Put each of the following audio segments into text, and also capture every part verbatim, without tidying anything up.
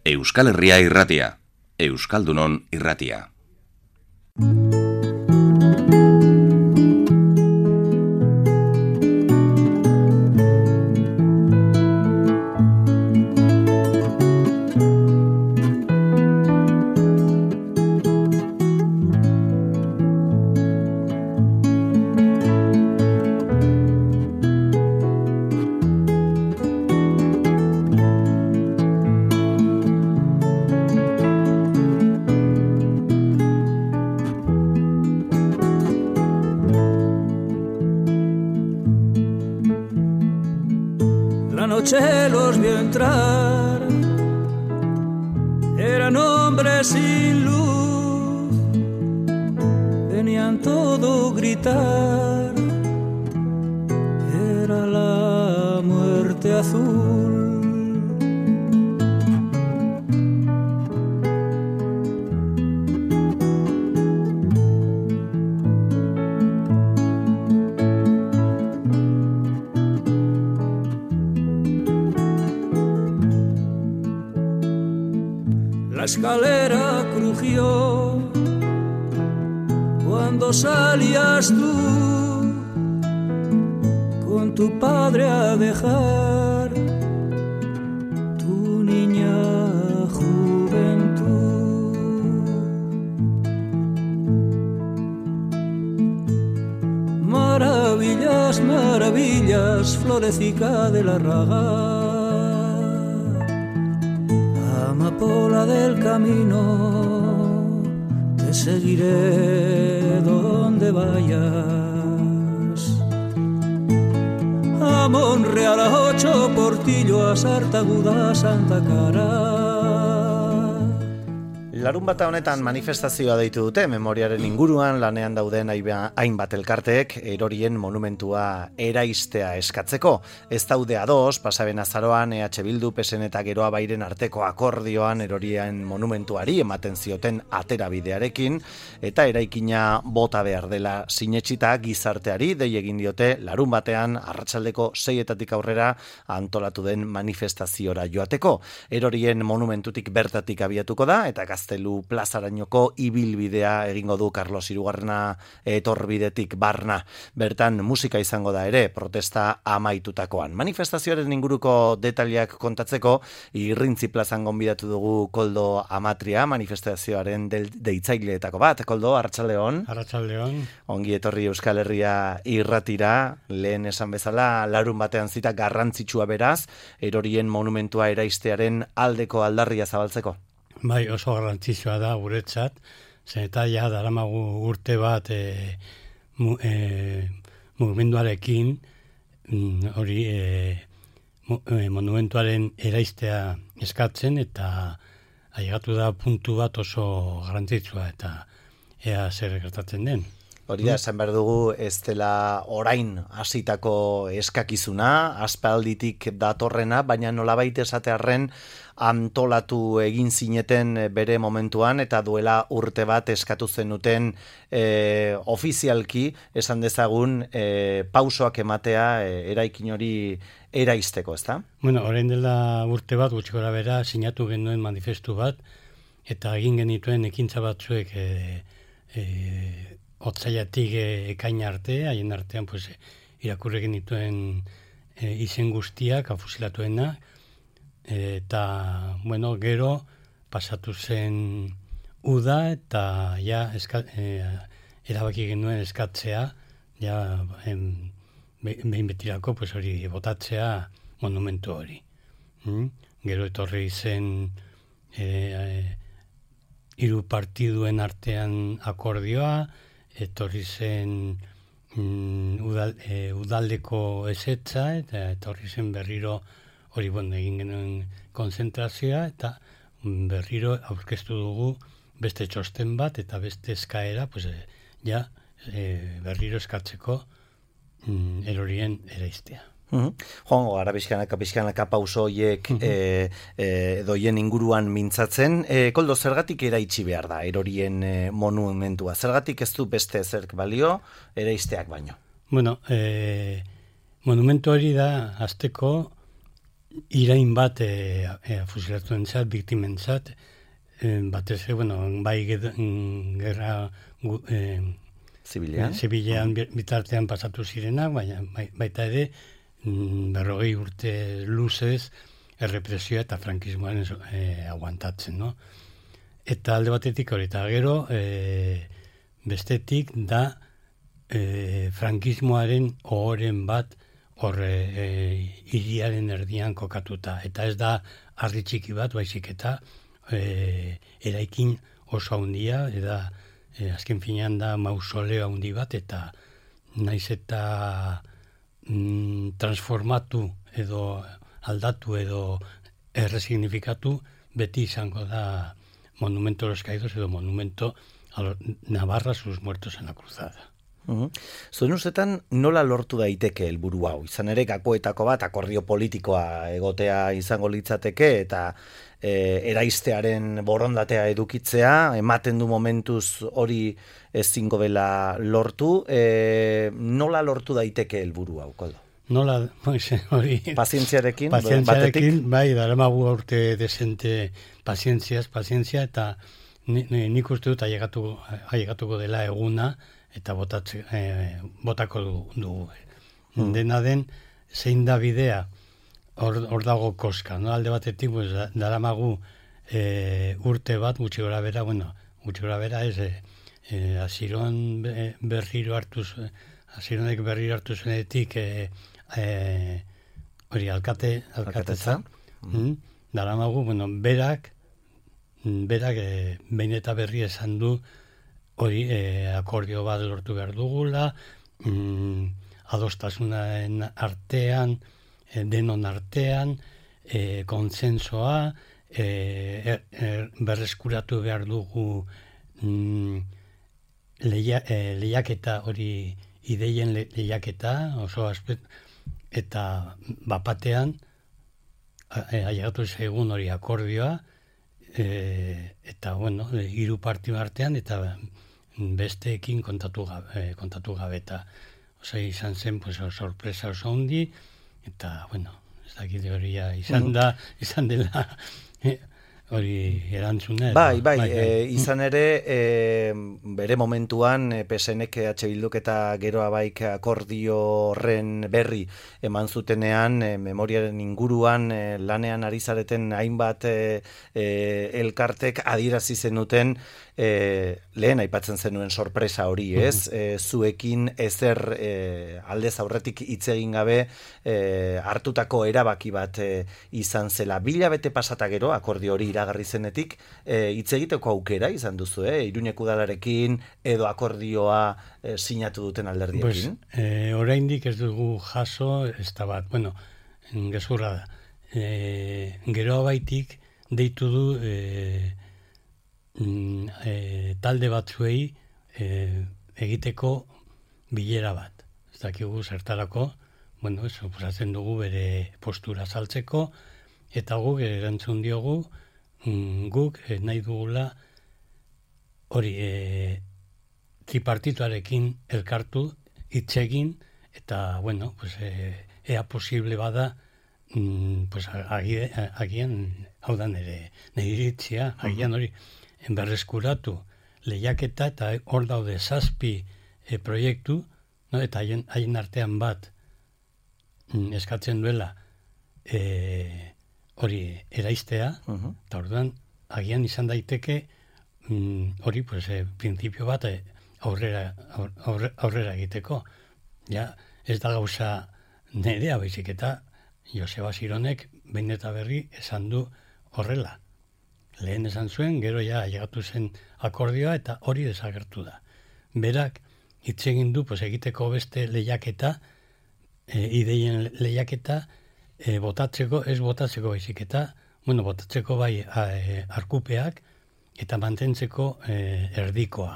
Euskal Herria irratia, Euskaldunon irratia. Los vio entrar, eran hombres sin luz, venían todo gritar, era la muerte azul. La escalera crujió cuando salías tú con tu padre a dejar tu niña juventud. Maravillas, maravillas, florecica de la raga, amapola del camino, te seguiré donde vayas. A Monreal, a Ocho Portillo, a Sartaguda, a Santa Cara. Larunbata honetan manifestazioa deitu dute, memoriaren inguruan lanean dauden hainbat elkarteek erorien monumentua eraistea eskatzeko. Ez daude ados, pasaben azaroan E H Bildu, P S N eta Geroa Bairen arteko akordioan erorien monumentuari ematen zioten aterabidearekin, eta eraikina bota behar dela sinetsita gizarteari dei egin diote larunbatean arratsaldeko seietatik aurrera antolatu den manifestaziora joateko. Erorien monumentutik bertatik abiatuko da, eta gazte Gaztelu plazarainoko ibilbidea egingo du Carlos Hirugarrena etorbidetik barna. Bertan musika izango da ere, protesta amaitutakoan. Manifestazioaren inguruko detaliak kontatzeko, Irrintzi plazan gonbidatu dugu Koldo Amatria, manifestazioaren deitzaileetako bat. Koldo, arratsaldeon. Arratsaldeon. Ongi etorri Euskal Herria irratira, lehen esan bezala, larun batean zita garrantzitsua beraz, erorien monumentua eraistearen aldeko aldarria zabaltzeko. Bai, oso garrantzitsua da guretzat, zen eta ja daramagu urte bat e, mu, e, mugimenduarekin hori e, mu, e, monumentuaren eraistea eskatzen, eta ailegatu da puntu bat oso garrantzitsua, eta ea zer gertatzen den. Hori da, esan behar dugu, ez dela orain hasitako eskakizuna, aspalditik datorrena, baina nolabait esatearren antolatu egin zineten bere momentuan, eta duela urte bat eskatu zenuten e, ofizialki, esan dezagun, e, pausoak ematea e, eraikin hori eraisteko, ezta? Bueno, orain dela urte bat, gutxi gora bera, sinatu genuen manifestu bat, eta egin genituen ekintza batzuek e, e, otzaiatik ekain arte, haien artean pues, irakurri genituen e, izen guztiak, afusilatuena, e, eta, bueno, gero pasatu zen uda, eta ja eska, e, erabaki genuen eskatzea, ja em, behin betirako pues, hori botatzea monumentu hori. Mm? Gero etorri zen e, e, hiru partiduen artean akordioa, etorri zen mm, udal, e, udaldeko ezetza, eta etorri zen berriro hori bon, egin genuen konzentrazioa, eta berriro aurkeztu dugu beste txosten bat, eta beste eskaera, pues, e, ja e, berriro eskatzeko mm, erorien eraistea. Uh-huh. Joango gara pixkanaka, pixkanaka pauso horiek uh-huh. e, e, doien inguruan mintzatzen. E, Koldo, zergatik eraitsi behar da erorien e, monumentua? Zergatik ez du beste zerk balio eraisteak baino? Bueno, e, monumentu hori da azteko irain bat e, e, fusilatu entzat, biktimentzat, e, batez, bueno, bai gerra e, zibilean, zibilean bitartean pasatu zirenak, baina baita ere berrogei urte luzez errepresioa eta frankismoaren e, aguantatzen, no? Eta alde batetik hori, eta gero e, bestetik da e, frankismoaren ohoren bat horre e, hiriaren erdian kokatuta. Eta ez da harri txiki bat, baizik eta e, eraikin oso handia, eta e, azken finean da mausoleo handi bat, eta naiz eta mm, transformatu edo aldatu edo erresignifikatu, beti izango da monumento a los caídos edo monumento a los Navarra sus muertos en la cruzada. Uh-huh. Zuen ustetan nola lortu daiteke helburu hau? Izan ere gakoetako bat akordio politikoa egotea izango litzateke eta e, eraistearen borondatea edukitzea, ematen du momentuz hori ezingo dela lortu, e, nola lortu daiteke helburu hau, Koldo? Nola, hori... Pazientziarekin? Pazientziarekin, bai, daramagu urte desente pazientziaz, pazientzia, eta nik uste dut ailegatuko dela eguna, eta botatze, eh, botako dugu. Du. Mm. Dena den, zein da bidea, hor, hor dago koska, no? Alde batetik, pues, daramagu eh, urte bat, gutxi gora bera, bueno, gutxi gora bera ez, eh, eh, aziron berriro hartuz, azironek berriro hartu zuenetik, eh, eh, hori, alkate, alkatetza, mm. daramagu, bueno, berak, berak, eh, behin eta berri esan du, hori, eh, akordio bat lortu behar dugula, mm, adostasunaren artean, eh, denon artean, eh, konsensoa, eh, er, er, berreskuratu behar dugu mm, leia, eh, lehiaketa hori, ideien le, lehiaketa, oso aspet, eta bapatean, eh, ailegatu zaigun hori akordioa, eh, eta, bueno, hiru partio artean, eta besteekin kontatu gabe, kontatu gabe eta oza, izan zen pues, sorpresa oso handi eta, bueno, ez dakit hori izan da, izan dela hori erantzuna. Bai, bai, bai, bai. E, izan ere, e, bere momentuan, e, P S N-ek H Bilduk eta Geroa Baik akordio horren berri eman zutenean, e, memoriaren inguruan e, lanean ari zareten hainbat e, e, elkartek adierazi zenuten e, lehen aipatzen zenuen sorpresa hori, ez? E, zuekin ezer e, aldez aurretik hitz egin gabe e, hartutako erabaki bat e, izan zela. Bilabete pasata gero, akordio hori iragarri zenetik, hitz e, egiteko aukera izan duzu, eh? Iruñeko udalarekin edo akordioa e, sinatu duten alderdiekin? Pues, e, oraindik ez dugu jaso, ez da bat, bueno, gezurra da. E, Geroa Baitik deitu du e, e, talde batzuei e, egiteko bilera bat. Ez dakigu zertarako, bueno, eso, posatzen dugu bere postura saltzeko, eta guk erantzun diogu, guk eh, nahi dugula hori eh, tripartituarekin elkartu hitzegin eta bueno, pues, eh, ea posible bada mm, pues, agie, agian hau da nire iritzia, agian hori berreskuratu lehiaketa eta hor daude zazpi eh, proiektu, no? Eta haien, haien artean bat mm, eskatzen duela eh, hori eraistea, uh-huh. Eta orduan, agian izan daiteke mm, hori, pues, eh, prinsipio bat eh, aurrera, aurre, aurrera egiteko. Ja, ez da gauza nerea, baizik eta Joseba Zironek behin eta berri esan du horrela. Lehen esan zuen, gero ja ailegatu zen akordioa eta hori desagertu da. Berak hitz egin du pues, egiteko beste lehiaketa, eh, ideien lehiaketa, E, botatzeko, ez botatzeko baizik eta, bueno, botatzeko bai a, e, arkupeak eta mantentzeko e, erdikoa.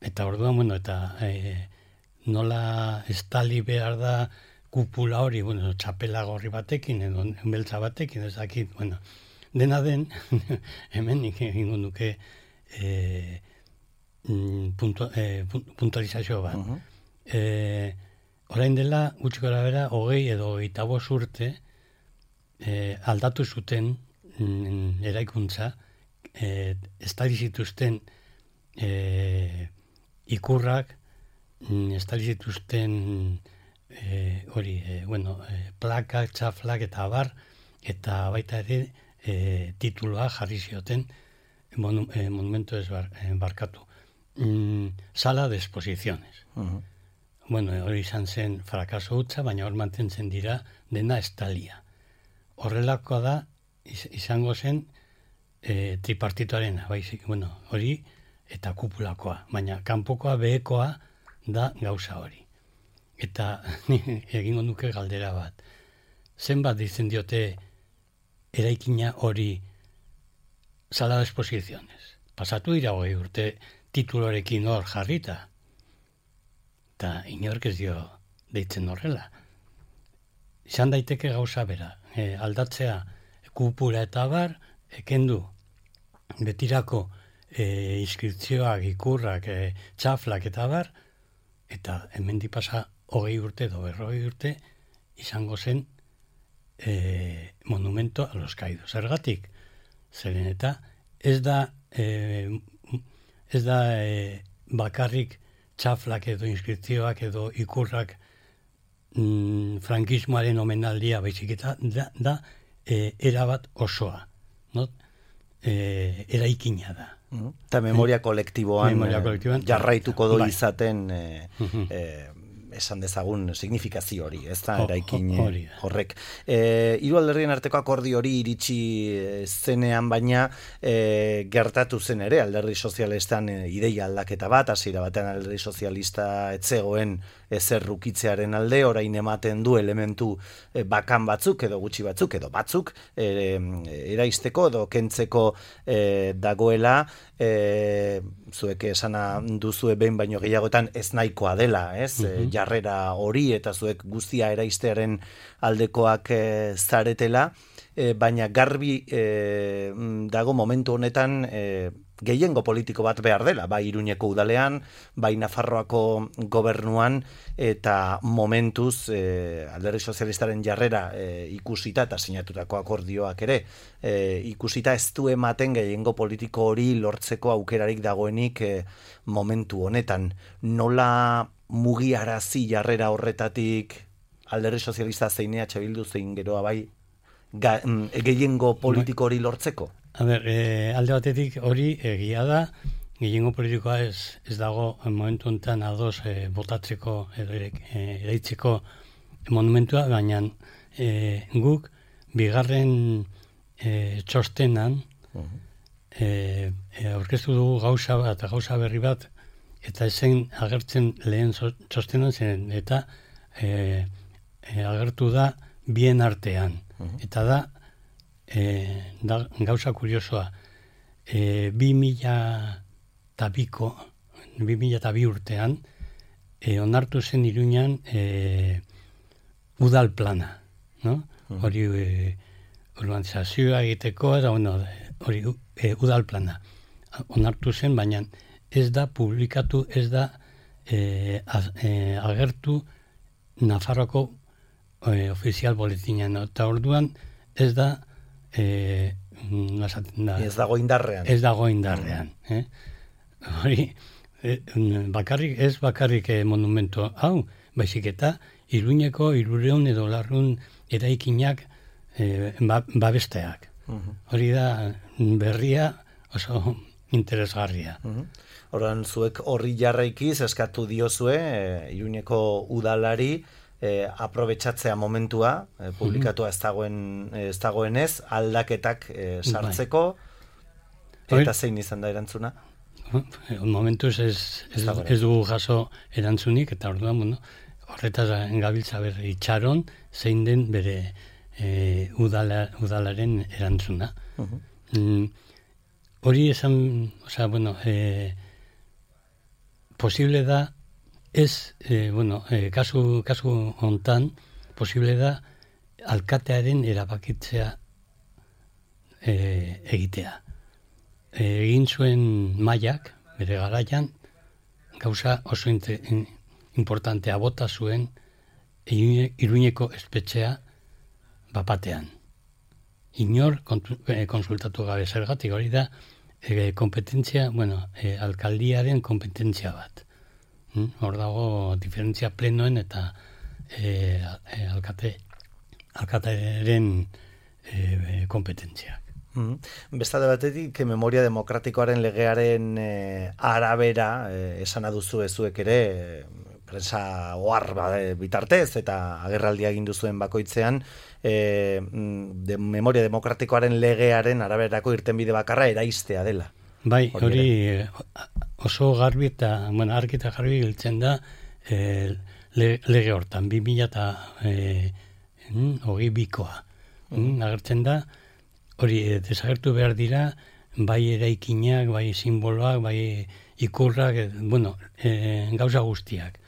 Eta orduan, bueno, eta e, nola estali behar da kupula hori, bueno, txapela gorri batekin, edo beltza batekin, ez dakit, bueno, dena den, hemen egingo nuke e, puntu, e, puntualizazio bat. Uh-huh. E, Orain dela, gutxi gora bera, hogei edo hogeita bost urte, e, aldatu zuten mm, eraikuntza, e, estali zituzten e, ikurrak, mm, estali zituzten e, hori, e, bueno, e, plakak, txaflak eta abar, eta baita ere e, tituloa jarri zioten monu, e, monumento ez bar, e, barkatu. Mm, sala de exposiciones. Uh-huh. Bueno, hori izan zen frakaso hutsa, baina hor mantentzen dira dena estalia. Horrelakoa da, izango zen e, tripartitoarena, baizik, bueno, hori eta kupulakoa, baina kanpokoa behekoa da gauza hori. Eta egingo nuke galdera bat. Zenbat ditzen diote eraikina hori sala de exposiciones? Pasatu dira hogei urte titulorekin hor jarrita. Eta inork ez dio deitzen horrela. Izan daiteke gauza bera. E, aldatzea kupula eta bar, ekendu betirako e, inskripzioak, ikurrak, e, txaflak eta bar, eta hemendik pasa hogei urte edo berrogei urte izango zen e, monumento a los caídos. Zergatik, zeren eta ez da e, ez da e, bakarrik txaflak edo inskripzioak edo ikurrak mm, frankismoaren omenaldia baizik eta da, da e, erabat osoa, no? E, eraikina da. Eta memoria kolektiboan, memoria kolektiboan jarraituko do bai. izaten e, uh-huh. e, esan dezagun signifikazio hori, ez da, eraikin horrek. E, hiru alderdien arteko akordio hori iritsi zenean, baina e, gertatu zen ere, alderdi sozialistan e, ideia aldaketa bat, hasiera batean alderdi sozialista etzegoen ezer rukitzearen alde, orain ematen du elementu e, bakan batzuk, edo gutxi batzuk, edo batzuk, e, eraisteko edo kentzeko e, dagoela, e, zuek esana duzue behin baino gehiagotan ez nahikoa dela, ez? Uh-huh. Jarrera hori eta zuek guztia eraistearen aldekoak e, zaretela, e, baina garbi e, dago momentu honetan e, gehiengo politiko bat behar dela, bai Iruñeko udalean, bai Nafarroako gobernuan, eta momentuz e, alderdi sozialistaren jarrera e, ikusita eta sinatutako akordioak ere e, ikusita ez du ematen gehiengo politiko hori lortzeko aukerarik dagoenik e, momentu honetan. Nola mugiarazi jarrera horretatik alderdi sozialista zein E H Bildu zein geroa bai ga, gehiengo politiko hori lortzeko? A ber, e, alde batetik hori egia da, gehiengo politikoa ez, ez dago momentu honetan ados e, botatzeko edo e, eraitzeko monumentua, baina e, guk bigarren e, txostenan uh-huh. e, e, aurkeztu dugu gauza bat, gauza berri bat, eta ezen agertzen lehen txostenan zen, eta e, e, agertu da bien artean, uh-huh. eta da E, da, gauza kuriosoa, e, bi mila eta biko, bi mila eta bi urtean, e, onartu zen Iruñan e, udal plana, no? Uh-huh. Hori e, urbanizazioa egiteko, eta bueno, hori e, udal plana. Onartu zen, baina ez da publikatu, ez da e, az, e, agertu Nafarroako e, ofizial boletinan, eta orduan ez da Eh, da, ez dago indarrean. Ez dago indarrean. Eh? Hori, eh, bakarrik, ez bakarrik eh, monumento hau, baizik eta Iruñeko hirureun edo larrun eraikinak eh, ba, babesteak. Uh-huh. Hori da berria oso interesgarria. Uh-huh. Horan zuek horri jarraikiz eskatu diozue eh, Iruñeko udalari E, aprobetxatzea momentua, e, publikatua ez dagoen ez dagoenez, aldaketak e, sartzeko, bai. Eta zein izan da erantzuna? Momentuz ez, ez, ez dugu jaso erantzunik, eta orduan, bueno, horretaz gabiltza berri itxaron, zein den bere e, udala, udalaren erantzuna. Uh-huh. Mm, hori esan, osea, bueno, e, posible da, Ez, eh, bueno, eh, kasu, kasu hontan, posible da alkatearen erabakitzea eh, egitea. E, egin zuen Maiak, bere garaian, gauza oso inte, in, importantea bota zuen Iruñeko espetxea bapatean. inor kontu, eh, konsultatu gabe zergatik, hori da eh, kompetentzia, bueno, eh, alkaldiaren kompetentzia bat. Hm? Hor dago diferentzia plenoen eta eh, eh, alkate, alkatearen eh, kompetentziak. Mm. Bestade batetik, memoria demokratikoaren legearen eh, arabera, eh, esana duzu ezuek ere, eh, prensa ohar ba, bitartez eta agerraldia egin duzuen bakoitzean, eh, de, memoria demokratikoaren legearen araberako irtenbide bakarra eraistea dela. Bai, hori oso garbi eta, bueno, argi eta garbi giltzen da eh, le, lege hortan, bi mila eta eh, hogei bikoa. Mm. Agertzen da, hori desagertu behar dira, bai eraikinak, bai simboloak, bai ikurrak, eh, bueno, eh, gauza guztiak.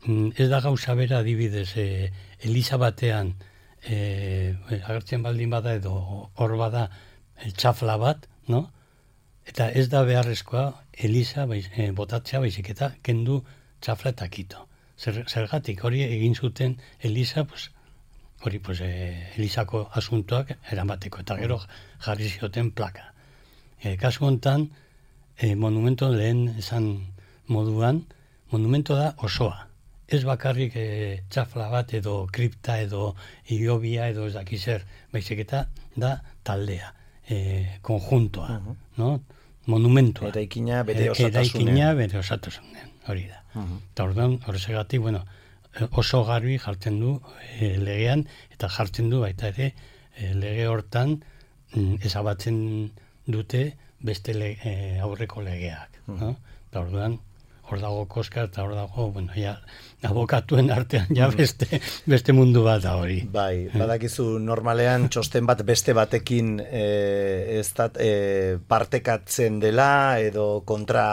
Mm, ez da gauza bera adibidez, eh, Eliza batean, eh, agertzen baldin bada edo hor bada eh, txafla bat, no? Eta ez da beharrezkoa Eliza bai, eh, botatzea baizik eta kendu txafla eta kito. Zer, zergatik hori egin zuten Eliza, pues, hori pues, eh, Elizako asuntoak eramateko, eta gero jarri zioten plaka. E, kasu hontan, e, monumento lehen esan moduan, monumento da osoa. Ez bakarrik e, txafla bat edo kripta edo iobia edo ez daki zer, baizik eta da taldea, e, konjuntoa, uh-huh. no? Monumentua. Eraikina bere osatasunean. Eraikina bere osatasunean, hori da. Uh-huh. Eta orduan, horregatik, bueno, oso garbi jartzen du e, legean, eta jartzen du baita ere e, lege hortan mm, ezabatzen dute beste le, e, aurreko legeak. Mm. No? Eta orduan, hor dago koska, eta hor dago, bueno, ja, abokatuen artean ja beste, beste mundu bat da hori. Bai, badakizu normalean txosten bat beste batekin e, ez da, e, partekatzen dela edo kontra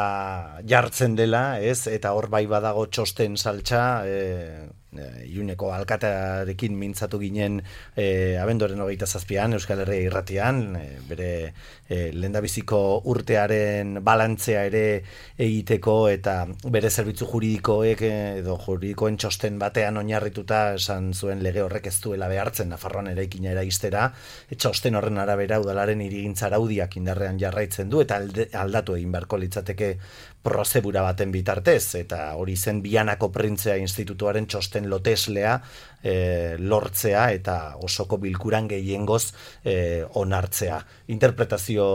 jartzen dela, ez? Eta hor bai badago txosten saltza, e, Iuneko alkatearekin mintzatu ginen e, abenduaren hogeita zazpian, Euskal Herria irratian, e, bere e, lehendabiziko urtearen balantzea ere egiteko eta bere zerbitzu juridikoek edo juridikoen txosten batean oinarrituta esan zuen lege horrek ez duela behartzen Nafarroan eraikina eraistera, txosten horren arabera udalaren hirigintza araudiak indarrean jarraitzen du eta alde, aldatu egin beharko litzateke prozedura baten bitartez, eta hori zen Bianako Printzea Institutuaren txosten loteslea e, lortzea eta osoko bilkuran gehiengoz e, onartzea. Interpretazio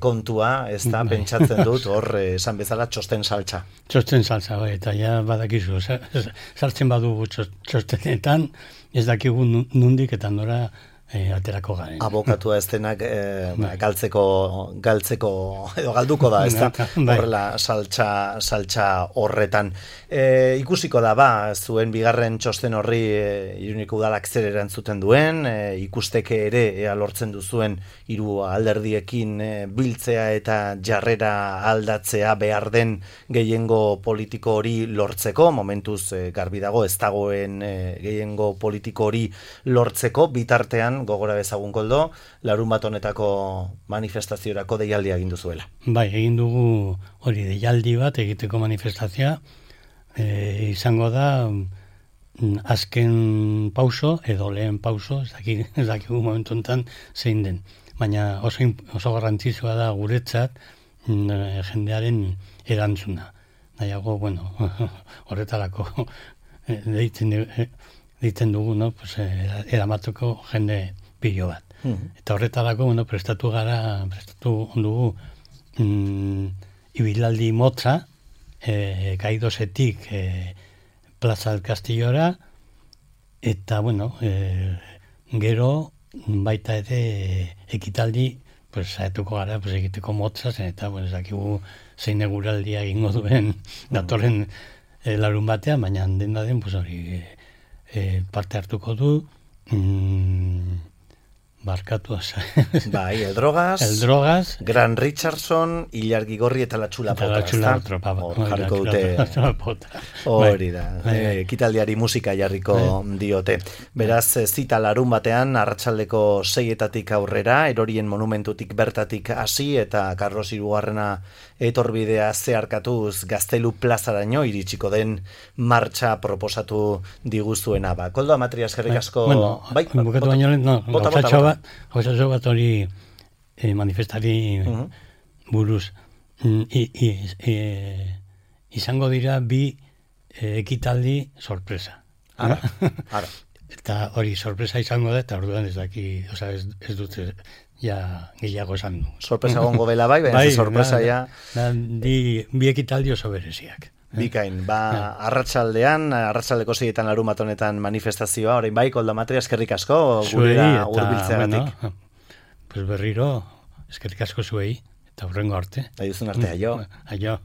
kontua, ez da, pentsatzen dut, hor esan bezala txosten saltza. Txosten saltza, bai, eta ja badakizu, sartzen badugu txostenetan, ez dakigu nundik eta nora E, aterako garen. Abokatua ez denak e, bai. galtzeko, galtzeko edo galduko da, ez da, horrela saltza, saltza horretan. E, ikusiko da, ba, zuen bigarren txosten horri e, Iruneko udalak zer erantzuten duen, e, ikusteke ere ea lortzen duzuen hiru alderdiekin e, biltzea eta jarrera aldatzea behar den gehiengo politiko hori lortzeko, momentuz e, garbi dago ez dagoen e, gehiengo politiko hori lortzeko, bitartean gogora bezagun Koldo, larun bat honetako manifestaziorako deialdia egin duzuela. Bai, egin dugu hori deialdi bat egiteko manifestazioa, e, izango da azken pauso edo lehen pauso, ez dakik, ez dakigu momentu enten zein den. Baina oso, oso garrantzitsua da guretzat jendearen erantzuna. Nahiago, bueno, horretarako deitzen ditzen dugu, no? Pues, eramatuko jende pilo bat. Mm-hmm. Eta horretarako, bueno, prestatu gara, prestatu dugu mm, ibilaldi motza, e, kaidosetik e, Plaza del Castillora, eta, bueno, e, gero baita ere ekitaldi, pues, saetuko gara, pues, egiteko motza, eta, bueno, ezakigu zein eguraldia egingo duen datorren e, larun batean, baina dena den, pues, hori... E, E, parte hartuko du mm, barkatu asa. Bai, el drogas, el drogas, Gran Richardson, Ilargi Gorri eta la Txula Pota. La Txula Pota. Hor jarriko dute. Hori da. Ekitaldiari musika jarriko diote. Beraz, zita larun batean, arratsaldeko seietatik aurrera, Erorien monumentutik bertatik hasi eta Carlos hirugarrena etorbidea zeharkatuz Gaztelu plazaraino iritsiko den martxa proposatu diguzuena. Ba, Koldo Amatria eskerrik asko. Bueno, bai, bukatu baino, no, gauzatxo bat, gauza bat hori eh, manifestari uh-huh. buruz. Mm, i, i, e, izango dira bi e, ekitaldi sorpresa. Ara, ara. Eta hori sorpresa izango da, eta orduan ez daki, oza, ez, ez dute ja gehiago esan du. Sorpresa gongo bela bai, baina bai, sorpresa da, ja... Da, di, bi ekitaldi oso bereziak. Bikain, ba, arratsaldean, arratsaldeko seietan larumat honetan manifestazioa, orain bai, Koldo Matria, eskerrik asko, gurera hurbiltzeagatik. Bueno, pues berriro, eskerrik asko zuei, eta horrengo arte. Aizun arte, aio. Aio.